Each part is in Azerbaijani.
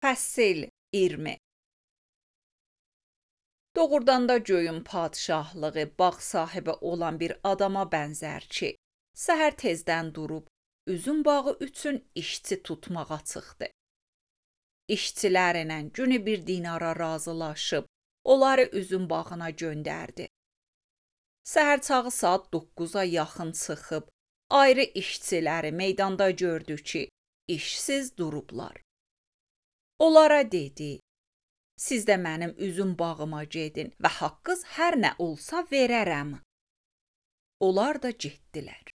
Fəsil 20. Doğrudan da göyün padşahlığı bağ sahibi olan bir adama bənzər ki, səhər tezdən durub, üzüm bağı üçün işçi tutmağa çıxdı. İşçilərlə günü 1 dinara razılaşıb, onları üzüm bağına göndərdi. Səhər çağı saat 9-a yaxın çıxıb, ayrı işçiləri meydanda gördü ki, işsiz durublar. Onlara dedi, siz də mənim üzüm bağıma gedin və haqqınız hər nə olsa verərəm. Onlar da getdilər.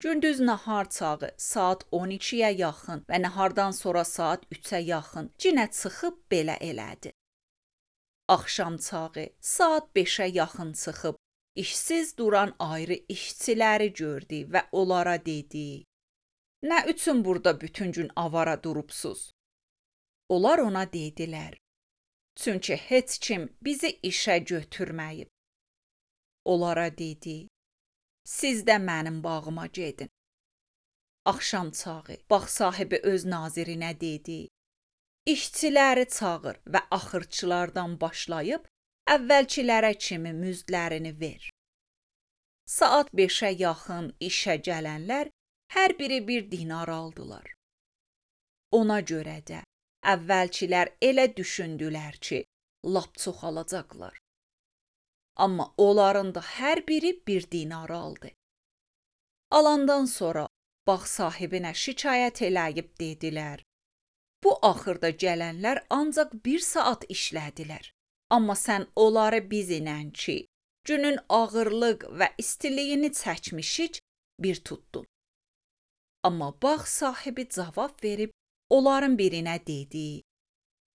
Gündüz nahar çağı saat 12-yə yaxın və nahardan sonra saat 3-ə yaxın yenə çıxıb belə elədi. Axşam çağı saat 5-ə yaxın çıxıb, işsiz duran ayrı işçiləri gördü və onlara dedi, nə üçün burada bütün gün avara durubsuz? Onlar ona dedilər, çünki heç kim bizi işə götürməyib. Onlara dedi, siz də mənim bağıma gedin. Axşam çağı bağ sahibi öz nazirinə dedi, işçiləri çağır və axırçılardan başlayıb əvvəlkilərə kimi müzdlərini ver. Saat 5-ə yaxın işə gələnlər hər biri 1 dinar aldılar. Ona görə də əvvəlkilər elə düşündülər ki, lap çox alacaqlar. Amma onların da hər biri 1 dinar aldı. Alandan sonra bağ sahibinə şikayət eləyib dedilər, bu axırda gələnlər ancaq 1 saat işlədilər. Amma sən onları bizlə ki, günün ağırlıq və istiliyini çəkmişik, bir tutdun. Amma bağ sahibi cavab verib, onların birinə dedi,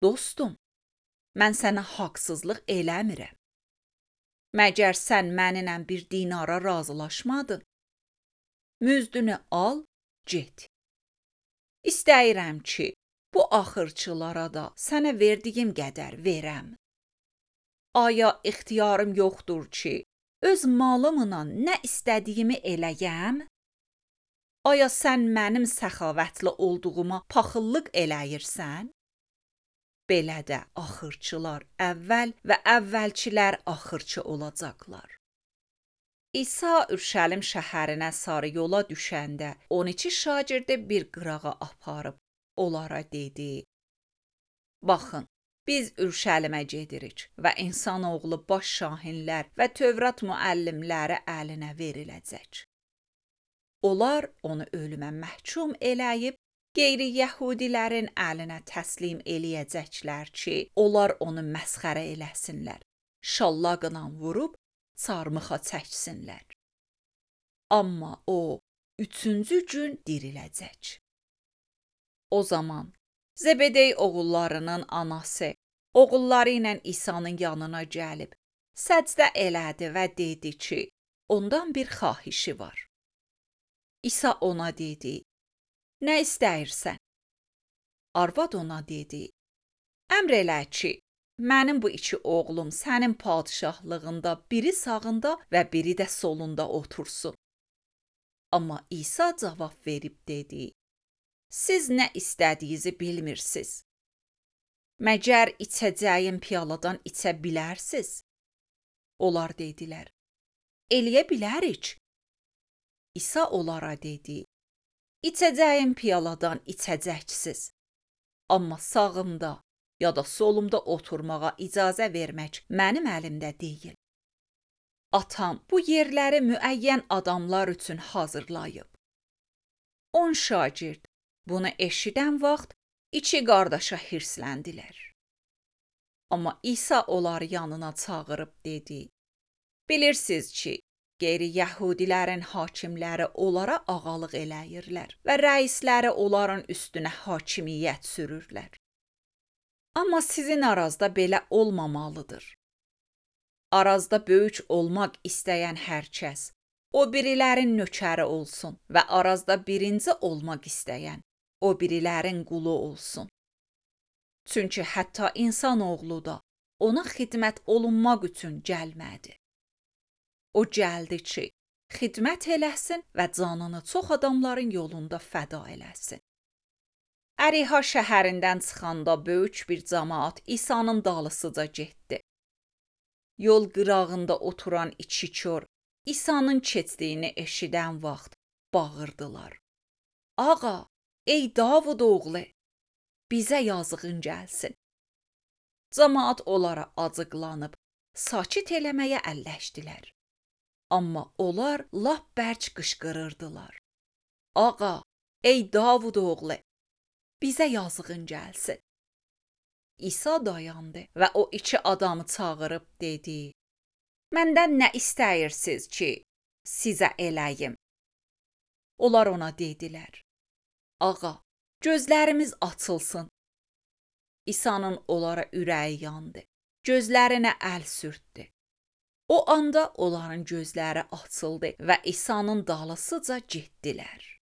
dostum, mən sənə haqsızlıq eləmirəm. Məgər sən mənimlə 1 dinara razılaşmadın? Müzdünü al, get. İstəyirəm ki, bu axırçılara da sənə verdiyim qədər verəm. Aya ixtiyarım yoxdur ki, öz malımla nə istədiyimi eləyəm? Aya sən mənim səxavətli olduğuma paxıllıq eləyirsən? Belə də axırçılar əvvəl və əvvəlkilər axırçı olacaqlar. İsa Ürşəlim şəhərinə sarı yola düşəndə 12 şagirdi bir qırağa aparıb, onlara dedi, baxın, biz Ürşəlimə gedirik və insanoğlu baş şahinlər və Tövrat müəllimləri əlinə veriləcək. Onlar onu ölümə məhkum eləyib, qeyri-yəhudilərin əlinə təslim eləyəcəklər ki, onlar onu məsxərə eləsinlər, şallaqla vurub, çarmıxa çəksinlər. Amma o, 3-cü gün diriləcək. O zaman Zebedey oğullarının anası, oğulları ilə İsa'nın yanına gəlib, səcdə elədi və dedi ki, ondan bir xahişi var. İsa ona dedi, nə istəyirsən? Arvad ona dedi, əmr elə ki, mənim bu 2 oğlum sənin padşahlığında biri sağında və biri də solunda otursun. Amma İsa cavab verib dedi, siz nə istədiyinizi bilmirsiniz. Məgər içəcəyim piyaladan içə bilərsiz? Onlar dedilər, eləyə bilərik. İsa onlara dedi, içəcəyim piyaladan içəcəksiz. Amma sağımda ya da solumda oturmağa icazə vermək mənim əlimdə deyil. Atam bu yerləri müəyyən adamlar üçün hazırlayıb. 10 şagird bunu eşidən vaxt 2 qardaşa hirsləndilər. Amma İsa onları yanına çağırıb dedi, bilirsiniz ki, qeyri-yəhudilərin hakimləri onlara ağalıq eləyirlər və rəisləri onların üstünə hakimiyyət sürürlər. Amma sizin arazda belə olmamalıdır. Arazda böyük olmaq istəyən hər kəs, o birilərin nökəri olsun və arazda birinci olmaq istəyən, o birilərin qulu olsun. Çünki hətta insanoğlu da ona xidmət olunmaq üçün gəlmədi. O gəldi ki, xidmət eləsin və canını çox adamların yolunda fəda eləsin. Əriha şəhərindən çıxanda böyük bir camaat İsa'nın dalısıca getdi. Yol qırağında oturan iki kör İsa'nın keçdiyini eşidən vaxt bağırdılar. Ağa, ey Davud oğlu, bizə yazığın gəlsin. Camaat onlara acıqlanıb, sakit eləməyə əlləşdilər. Amma onlar lap bərk qışqırırdılar. Ağa, ey Davud oğlu, bizə yazığın gəlsin. İsa dayandı və o iki adamı çağırıb dedi: Məndən nə istəyirsiniz ki, sizə eləyim? Onlar ona dedilər: Ağa, gözlərimiz açılsın. İsa'nın onlara ürəyi yandı. Gözlərinə əl sürtdü. O anda onların gözləri açıldı və İsa'nın dalısıca getdilər.